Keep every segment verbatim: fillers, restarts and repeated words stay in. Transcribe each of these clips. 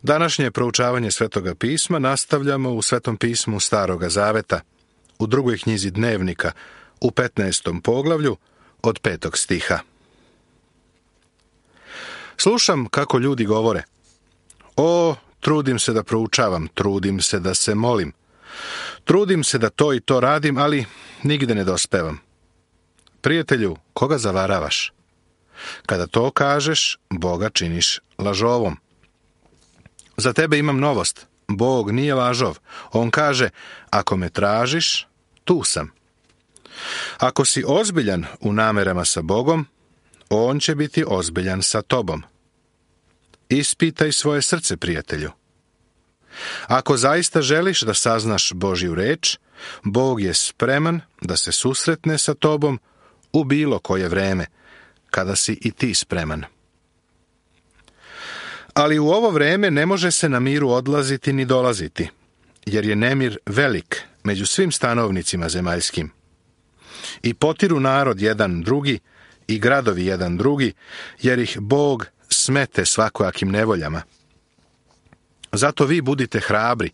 Današnje proučavanje Svetoga pisma nastavljamo u Svetom pismu Staroga zaveta, u drugoj knjizi Dnevnika, u petnaestom poglavlju, od petog stiha. Slušam kako ljudi govore: O, trudim se da proučavam, trudim se da se molim, trudim se da to i to radim, ali nigde ne dospevam. Prijatelju, koga zavaravaš? Kada to kažeš, Boga činiš lažovom. Za tebe imam novost. Bog nije lažov. On kaže: ako me tražiš, tu sam. Ako si ozbiljan u namerama sa Bogom, On će biti ozbiljan sa tobom. Ispitaj svoje srce, prijatelju. Ako zaista želiš da saznaš Božju reč, Bog je spreman da se susretne sa tobom u bilo koje vreme, kada si i ti spreman. Ali u ovo vreme ne može se na miru odlaziti ni dolaziti, jer je nemir velik među svim stanovnicima zemaljskim. I potiru narod jedan drugi i gradovi jedan drugi, jer ih Bog smete svakojakim nevoljama. Zato vi budite hrabri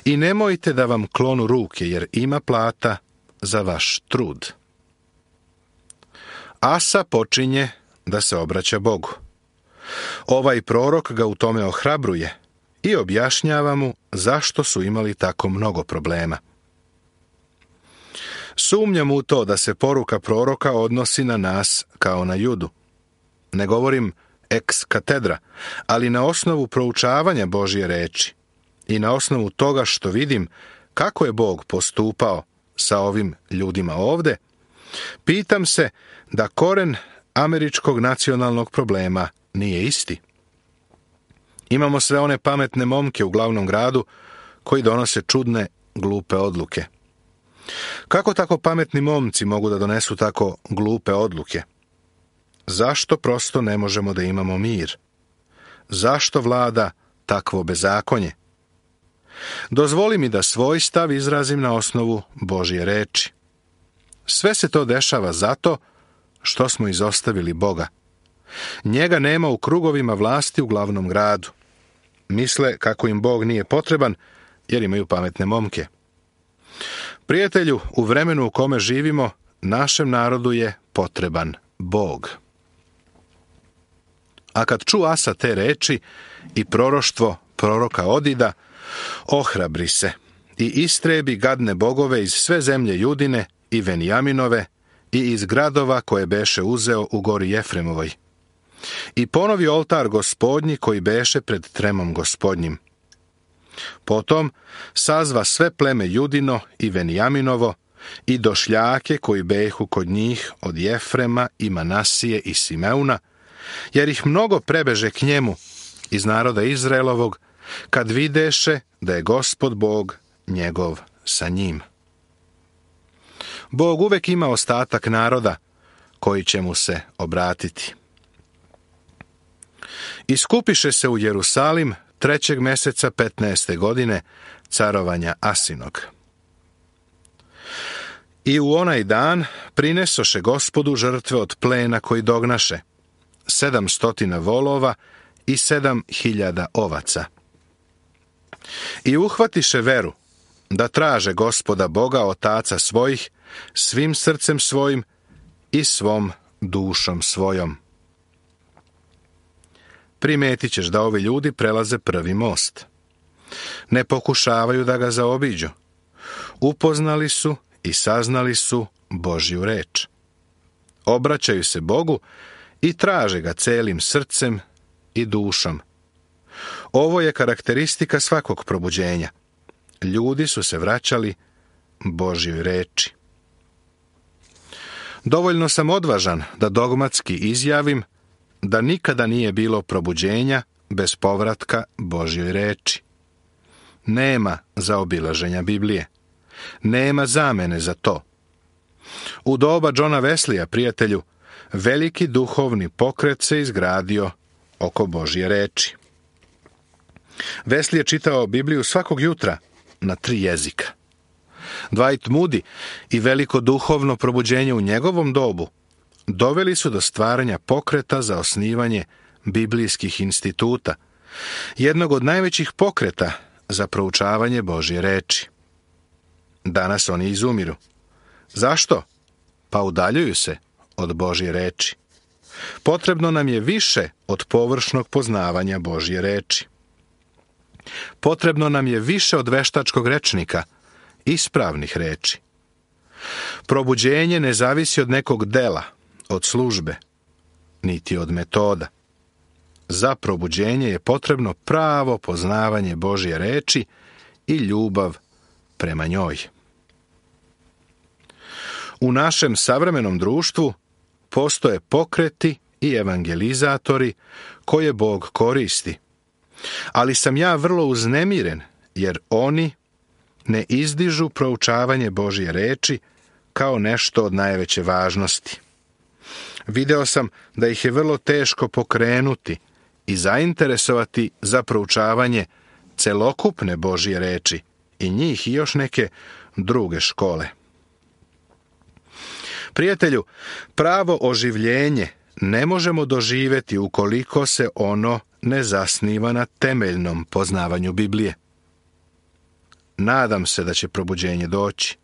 i nemojte da vam klonu ruke, jer ima plata za vaš trud. Asa počinje da se obraća Bogu. Ovaj prorok ga u tome ohrabruje i objašnjava mu zašto su imali tako mnogo problema. Sumnjam u to da se poruka proroka odnosi na nas kao na Judu. Ne govorim ex katedra, ali na osnovu proučavanja Božje reči i na osnovu toga što vidim kako je Bog postupao sa ovim ljudima ovde, pitam se da koren američkog nacionalnog problema nije isti. Imamo sve one pametne momke u glavnom gradu koji donose čudne, glupe odluke. Kako tako pametni momci mogu da donesu tako glupe odluke? Zašto prosto ne možemo da imamo mir? Zašto vlada takvo bezakonje? Dozvoli mi da svoj stav izrazim na osnovu Božje reči. Sve se to dešava zato što smo izostavili Boga. Njega nema u krugovima vlasti u glavnom gradu. Misle kako im Bog nije potreban, jer imaju pametne momke. Prijatelju, u vremenu u kome živimo, našem narodu je potreban Bog. A kad ču Asa te reči i proroštvo proroka Odida, ohrabri se i istrebi gadne bogove iz sve zemlje Judine i Venijaminove i iz gradova koje beše uzeo u gori Jefremovoj. I ponovi oltar Gospodnji koji beše pred tremom Gospodnjim. Potom sazva sve pleme Judino i Venijaminovo i došljake koji behu kod njih od Jefrema i Manasije i Simeuna, jer ih mnogo prebeže k njemu iz naroda Izraelovog, kad videše da je Gospod Bog njegov sa njim. Bog uvek ima ostatak naroda koji će mu se obratiti. Iskupiše se u Jerusalim trećeg meseca petnaeste godine carovanja Asinog. I u onaj dan prinesoše Gospodu žrtve od plena koji dognaše, sedam stotina volova i sedam hiljada ovaca. I uhvatiše veru da traže Gospoda Boga otaca svojih svim srcem svojim i svom dušom svojom. Primetit ćeš da ovi ljudi prelaze prvi most. Ne pokušavaju da ga zaobiđu. Upoznali su i saznali su Božju reč. Obraćaju se Bogu i traže ga celim srcem i dušom. Ovo je karakteristika svakog probuđenja. Ljudi su se vraćali Božjoj reči. Dovoljno sam odvažan da dogmatski izjavim da nikada nije bilo probuđenja bez povratka Božjoj reči. Nema zaobilaženja Biblije. Nema zamene za to. U doba Johna Wesleya, prijatelju, veliki duhovni pokret se izgradio oko Božje reči. Wesley je čitao Bibliju svakog jutra na tri jezika. Dwight Moody i veliko duhovno probuđenje u njegovom dobu doveli su do stvaranja pokreta za osnivanje biblijskih instituta jednog od najvećih pokreta za proučavanje Božje reči. Danas oni izumiru. Zašto? Pa udaljuju se od Božje reči. Potrebno nam je više od površnog poznavanja Božje reči. Potrebno nam je više od veštačkog rečnika, ispravnih reči. Probuđenje ne zavisi od nekog dela, od službe, niti od metoda. Za probuđenje je potrebno pravo poznavanje Božje reči i ljubav prema njoj. U našem savremenom društvu postoje pokreti i evangelizatori koje Bog koristi, ali sam ja vrlo uznemiren jer oni ne izdižu proučavanje Božje reči kao nešto od najveće važnosti. Video sam da ih je vrlo teško pokrenuti i zainteresovati za proučavanje celokupne Božje reči i njih i još neke druge škole. Prijatelju, pravo oživljenje ne možemo doživjeti ukoliko se ono ne zasniva na temeljnom poznavanju Biblije. Nadam se da će probuđenje doći.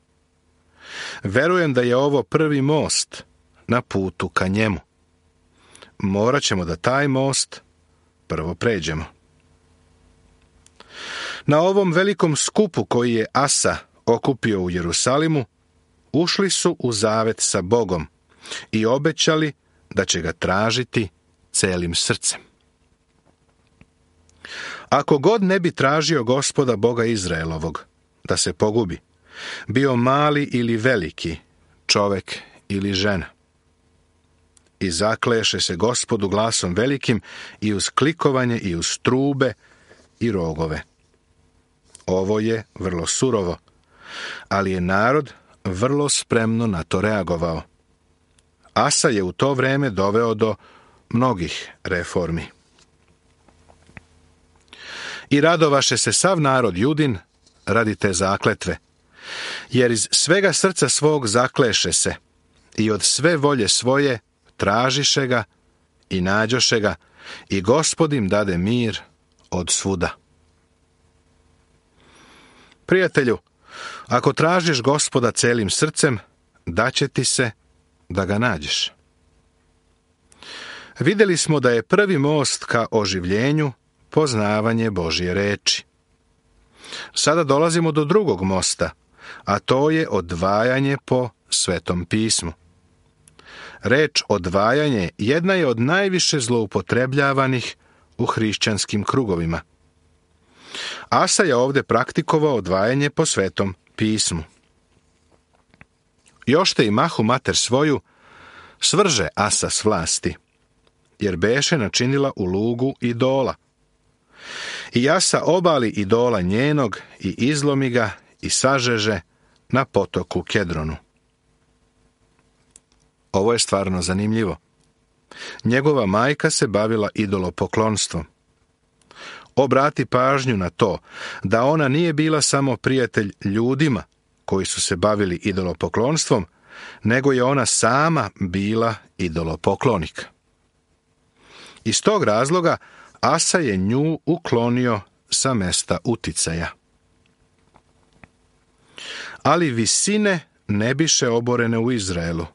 Verujem da je ovo prvi most na putu ka njemu. Morat ćemo da taj most prvo pređemo. Na ovom velikom skupu koji je Asa okupio u Jerusalimu, ušli su u zavet sa Bogom i obećali da će ga tražiti celim srcem. Ako god ne bi tražio Gospoda Boga Izraelovog da se pogubi, bio mali ili veliki, čovek ili žena. I zakleše se Gospodu glasom velikim i uz klikovanje i uz trube i rogove. Ovo je vrlo surovo, ali je narod vrlo spremno na to reagovao. Asa je u to vreme doveo do mnogih reformi. I radovaše se sav narod Judin radi te zakletve, jer iz svega srca svog zakleše se i od sve volje svoje tražiše ga i nađoše ga i Gospod im dade mir od svuda. Prijatelju, ako tražiš Gospoda celim srcem, daće ti se da ga nađeš. Vidjeli smo da je prvi most ka oživljenju poznavanje Božje reči. Sada dolazimo do drugog mosta, a to je odvajanje po Svetom pismu. Reč odvajanje jedna je od najviše zloupotrebljavanih u hrišćanskim krugovima. Asa je ovdje praktikovao odvajanje po Svetom pismu. Još te i mahu mater svoju svrže Asa s vlasti, jer beše načinila u lugu idola. I Asa obali idola njenog i izlomi ga i sažeže na potoku Kedronu. Ovo je stvarno zanimljivo. Njegova majka se bavila idolopoklonstvom. Obrati pažnju na to da ona nije bila samo prijatelj ljudima koji su se bavili idolopoklonstvom, nego je ona sama bila idolopoklonik. Iz tog razloga Asa je nju uklonio sa mesta uticaja. Ali visine ne biše oborene u Izraelu,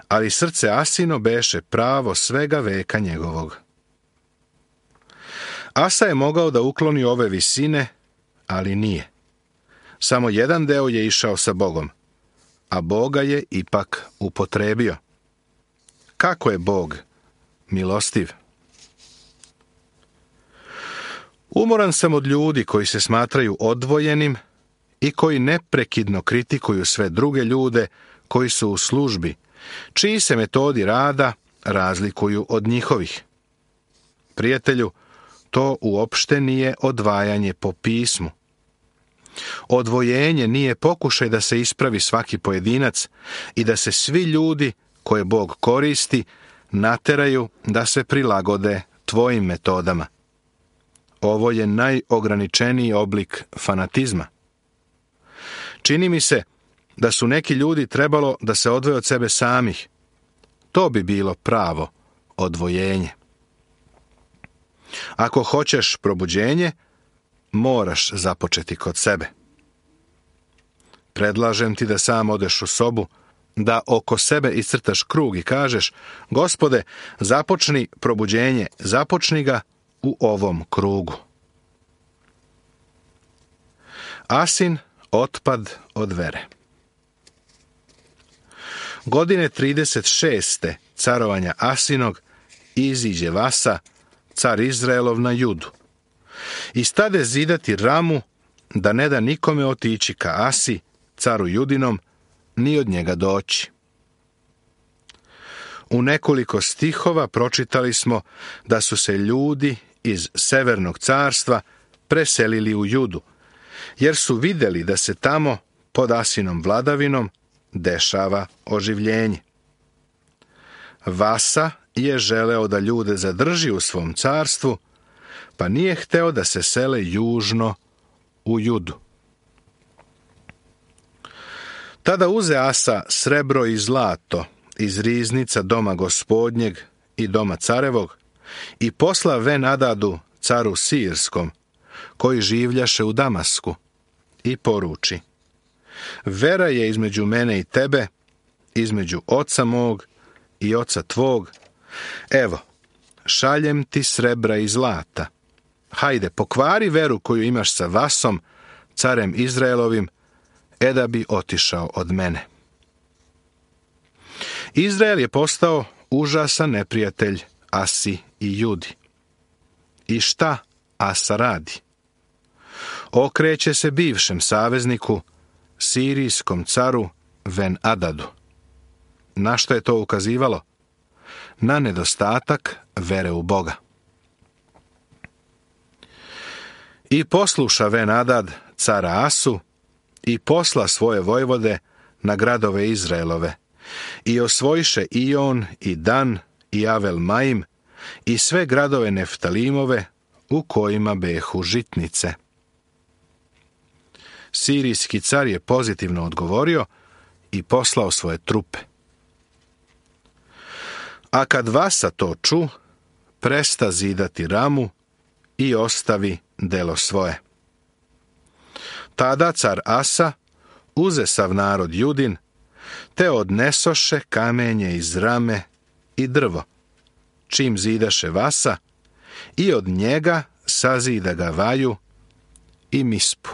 ali srce Asino beše pravo svega veka njegovog. Asa je mogao da ukloni ove visine, ali nije. Samo jedan deo je išao sa Bogom, a Boga je ipak upotrebio. Kako je Bog milostiv? Umoran sam od ljudi koji se smatraju odvojenim i koji neprekidno kritikuju sve druge ljude koji su u službi, čiji se metodi rada razlikuju od njihovih. Prijatelju, to uopšte nije odvajanje po pismu. Odvojenje nije pokušaj da se ispravi svaki pojedinac i da se svi ljudi koje Bog koristi nateraju da se prilagode tvojim metodama. Ovo je najograničeniji oblik fanatizma. Čini mi se da su neki ljudi trebalo da se odvoje od sebe samih. To bi bilo pravo odvojenje. Ako hoćeš probuđenje, moraš započeti kod sebe. Predlažem ti da sam odeš u sobu, da oko sebe iscrtaš krug i kažeš: Gospode, započni probuđenje, započni ga u ovom krugu. Asin otpad od vere. Godine trideset šeste carovanja Asinog iziđe Vasa, car Izraelov, na Judu. I stade zidati Ramu, da ne da nikome otići ka Asi, caru Judinom, ni od njega doći. U nekoliko stihova pročitali smo da su se ljudi iz Severnog carstva preselili u Judu, jer su vidjeli da se tamo, pod Asinom vladavinom, dešava oživljenje. Vasa je želeo da ljude zadrži u svom carstvu, pa nije hteo da se sele južno u Judu. Tada uze Asa srebro i zlato iz riznica doma gospodnjeg i doma carevog i posla Ben-Adadu, caru Sirskom, koji življaše u Damasku, i poruči: Vera je između mene i tebe, između oca mog i oca tvog. Evo, šaljem ti srebra i zlata. Hajde, pokvari veru koju imaš sa Vasom, carem Izraelovim, e da bi otišao od mene. Izrael je postao užasan neprijatelj Asi i Judi. I šta Asa radi? Okreće se bivšem savezniku, sirijskom caru Ben-Adadu. Na što je to ukazivalo? Na nedostatak vere u Boga. I posluša Ben-Adad cara Asu i posla svoje vojvode na gradove Izraelove i osvojiše Ion i Dan i Avel Maim i sve gradove Neftalimove u kojima behu žitnice. Sirijski car je pozitivno odgovorio i poslao svoje trupe. A kad Vasa to ču, presta zidati Ramu i ostavi delo svoje. Tada car Asa uze sav narod Judin, te odnesoše kamenje iz Rame i drvo, čim zidaše Vasa, i od njega sazida ga Vaju i Mispu.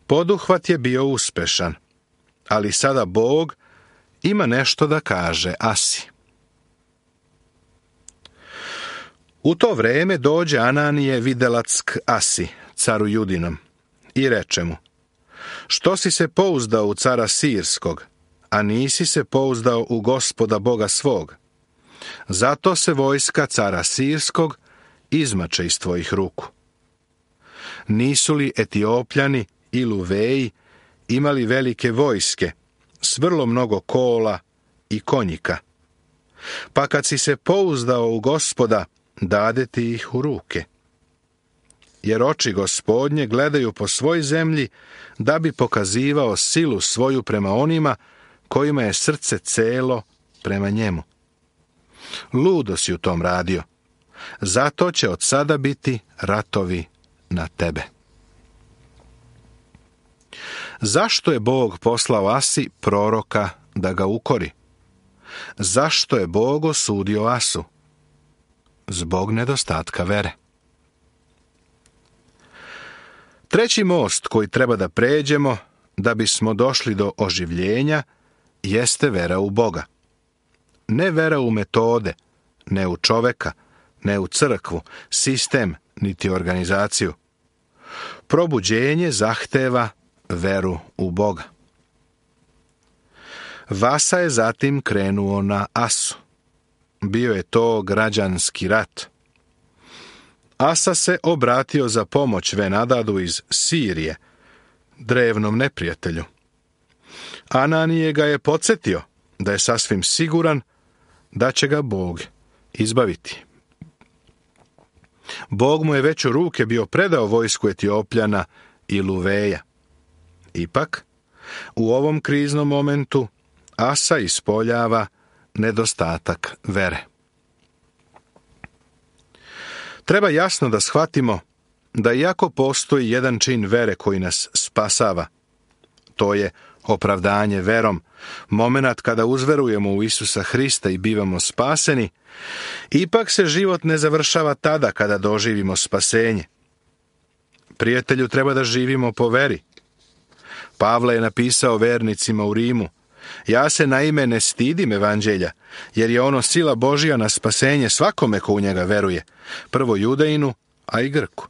Poduhvat je bio uspešan, ali sada Bog ima nešto da kaže Asi. U to vreme dođe Ananije videlac k Asi, caru Judinom, i reče mu: Što si se pouzdao u cara Sirskog, a nisi se pouzdao u Gospoda Boga svog? Zato se vojska cara Sirskog izmače iz tvojih ruku. Nisu li Etiopljani i Luveji imali velike vojske, s vrlo mnogo kola i konjika? Pa kad si se pouzdao u Gospoda, dade ti ih u ruke. Jer oči Gospodnje gledaju po svoj zemlji, da bi pokazivao silu svoju prema onima kojima je srce celo prema njemu. Ludo si u tom radio, zato će od sada biti ratovi na tebe. Zašto je Bog poslao Asi proroka da ga ukori? Zašto je Bog osudio Asu? Zbog nedostatka vere. Treći most koji treba da pređemo da bismo došli do oživljenja jeste vera u Boga. Ne vera u metode, ne u čoveka, ne u crkvu, sistem, niti organizaciju. Probuđenje zahteva veru u Boga. Vasa je zatim krenuo na Asu. Bio je to građanski rat. Asa se obratio za pomoć Ben-Adadu iz Sirije, drevnom neprijatelju. Ananije ga je podsjetio da je sasvim siguran da će ga Bog izbaviti. Bog mu je već u ruke bio predao vojsku Etiopljana i Luveja. Ipak, u ovom kriznom momentu Asa ispoljava nedostatak vere. Treba jasno da shvatimo da iako postoji jedan čin vere koji nas spasava, to je opravdanje verom, momenat kada uzverujemo u Isusa Hrista i bivamo spaseni, ipak se život ne završava tada kada doživimo spasenje. Prijatelju, treba da živimo po veri. Pavle je napisao vernicima u Rimu: ja se naime ne stidim evanđelja, jer je ono sila Božja na spasenje svakome ko u njega veruje, prvo Judejinu, a i Grku.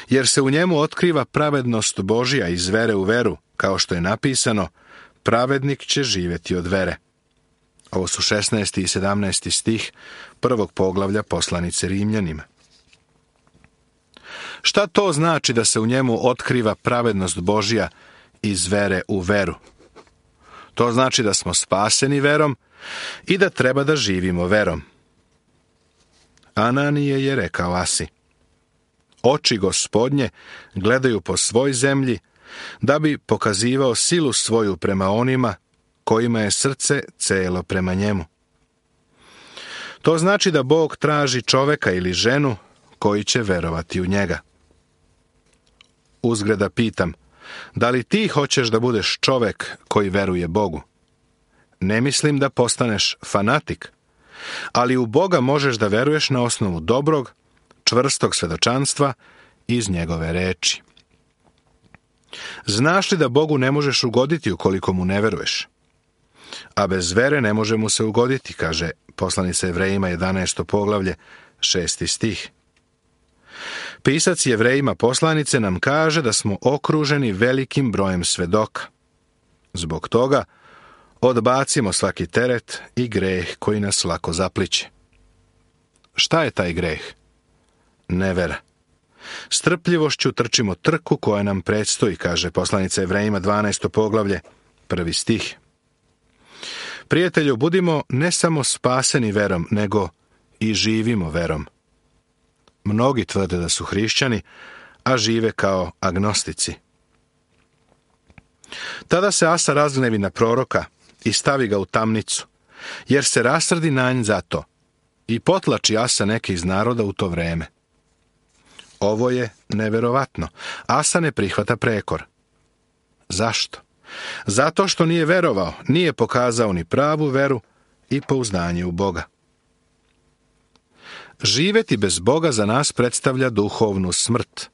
Jer se u njemu otkriva pravednost Božja iz vere u veru, kao što je napisano: pravednik će živjeti od vere. Ovo su šesnaesti i sedamnaesti stih prvog poglavlja poslanice Rimljanima. Šta to znači da se u njemu otkriva pravednost Božja iz vere u veru? To znači da smo spaseni verom i da treba da živimo verom. Ananije je rekao Asi: oči Gospodnje gledaju po svoj zemlji, da bi pokazivao silu svoju prema onima kojima je srce celo prema njemu. To znači da Bog traži čoveka ili ženu koji će verovati u njega. Uzgrada pitam, da li ti hoćeš da budeš čovek koji veruje Bogu? Ne mislim da postaneš fanatik, ali u Boga možeš da veruješ na osnovu dobrog, čvrstog svedočanstva iz njegove reči. Znaš li da Bogu ne možeš ugoditi ukoliko mu ne veruješ? A bez vere ne može mu se ugoditi, kaže poslanica Jevrejima jedanaesto poglavlje, šesti stih. Pisac Jevrejima poslanice nam kaže da smo okruženi velikim brojem svedoka. Zbog toga odbacimo svaki teret i greh koji nas lako zapliće. Šta je taj greh? Nevera. Strpljivošću trčimo trku koja nam predstoji, kaže poslanica Jevrejima dvanaesto poglavlje, prvi stih. Prijatelju, budimo ne samo spaseni verom, nego i živimo verom. Mnogi tvrde da su hrišćani, a žive kao agnostici. Tada se Asa razgnevi na proroka i stavi ga u tamnicu, jer se rasrdi na nj za to, i potlači Asa neke iz naroda u to vreme. Ovo je neverovatno. Asa ne prihvata prekor. Zašto? Zato što nije verovao, nije pokazao ni pravu veru i pouzdanje u Boga. Živeti bez Boga za nas predstavlja duhovnu smrt.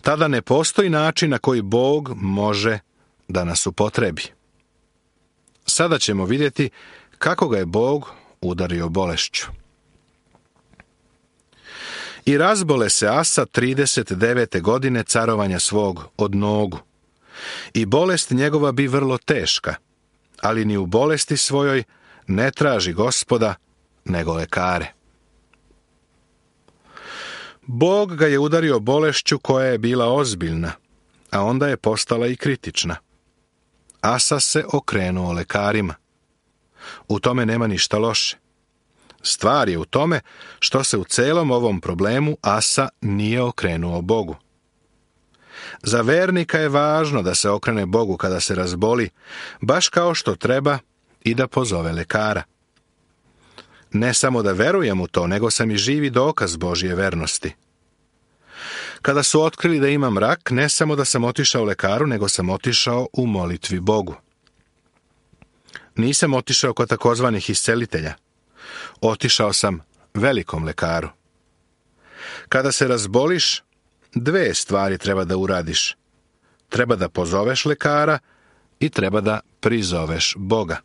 Tada ne postoji način na koji Bog može da nas upotrebi. Sada ćemo vidjeti kako ga je Bog udario bolešću. I razbole se Asa trideset devete godine carovanja svog od nogu. I bolest njegova bi vrlo teška, ali ni u bolesti svojoj ne traži Gospoda, nego lekare. Bog ga je udario bolešću koja je bila ozbiljna, a onda je postala i kritična. Asa se okrenuo lekarima. U tome nema ništa loše. Stvar je u tome što se u celom ovom problemu Asa nije okrenuo Bogu. Za vernika je važno da se okrene Bogu kada se razboli, baš kao što treba i da pozove lekara. Ne samo da verujem u to, nego sam i živi dokaz Božje vernosti. Kada su otkrili da imam rak, ne samo da sam otišao lekaru, nego sam otišao u molitvi Bogu. Nisam otišao kod takozvanih iscelitelja. Otišao sam velikom lekaru. Kada se razboliš, dve stvari treba da uradiš. Treba da pozoveš lekara i treba da prizoveš Boga.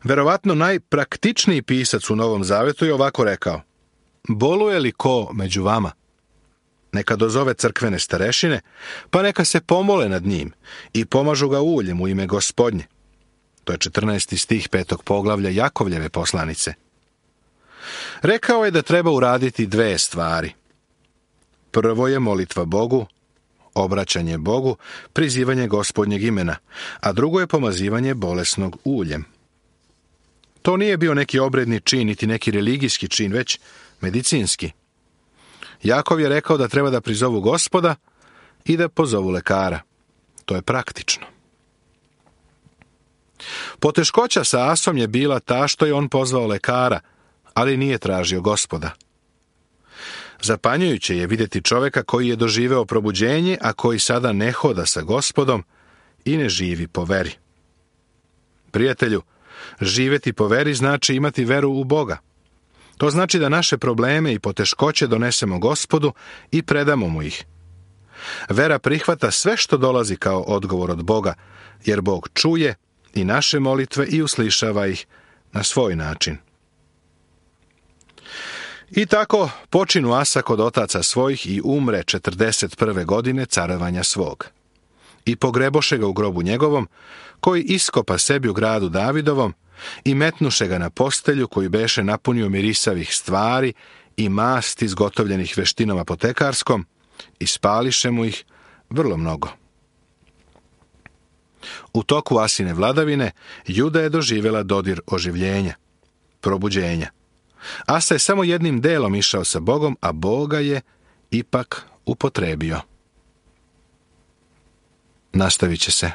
Verovatno najpraktičniji pisac u Novom Zavetu je ovako rekao: boluje li ko među vama? Neka dozove crkvene starešine, pa neka se pomole nad njim i pomažu ga uljem u ime Gospodnje. To je četrnaesti stih petog poglavlja Jakovljeve poslanice. Rekao je da treba uraditi dve stvari. Prvo je molitva Bogu, obraćanje Bogu, prizivanje Gospodnjeg imena, a drugo je pomazivanje bolesnog uljem. To nije bio neki obredni čin, niti neki religijski čin, već medicinski. Jakov je rekao da treba da prizovu Gospoda i da pozovu lekara. To je praktično. Poteškoća sa Asom je bila ta što je on pozvao lekara, ali nije tražio Gospoda. Zapanjujuće je vidjeti čovjeka koji je doživeo probuđenje, a koji sada ne hoda sa Gospodom i ne živi po veri. Prijatelju, živjeti po veri znači imati veru u Boga. To znači da naše probleme i poteškoće donesemo Gospodu i predamo mu ih. Vera prihvata sve što dolazi kao odgovor od Boga, jer Bog čuje i naše molitve i uslišava ih na svoj način. I tako počinu Asa kod otaca svojih i umre četrdeset prve godine carovanja svog. I pogreboše ga u grobu njegovom, koji iskopa sebi u gradu Davidovom, i metnuše ga na postelju koju beše napunio mirisavih stvari i masti izgotovljenih veštinom apotekarskom, i spališe mu ih vrlo mnogo. U toku Asine vladavine Juda je doživjela dodir oživljenja, probuđenja. Asa je samo jednim delom išao sa Bogom, a Boga je ipak upotrebio. Nastavit će se.